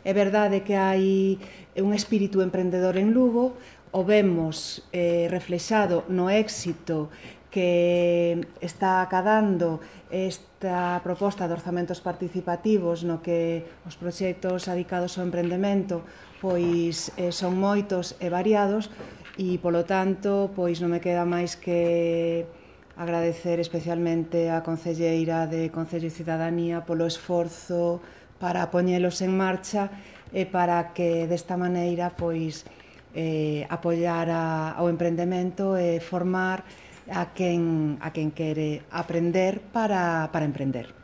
É verdade que hai un espírito emprendedor en Lugo, o vemos reflexado no éxito que está acadando esta proposta de orzamentos participativos no que os proxectos adicados ao emprendemento pois son moitos e variados e polo tanto pois non me queda máis que agradecer especialmente á concelleira de Concello e Cidadanía polo esforzo para poñelos en marcha e para que desta maneira pois apoiar ao emprendemento e formar a quen quere aprender para emprender.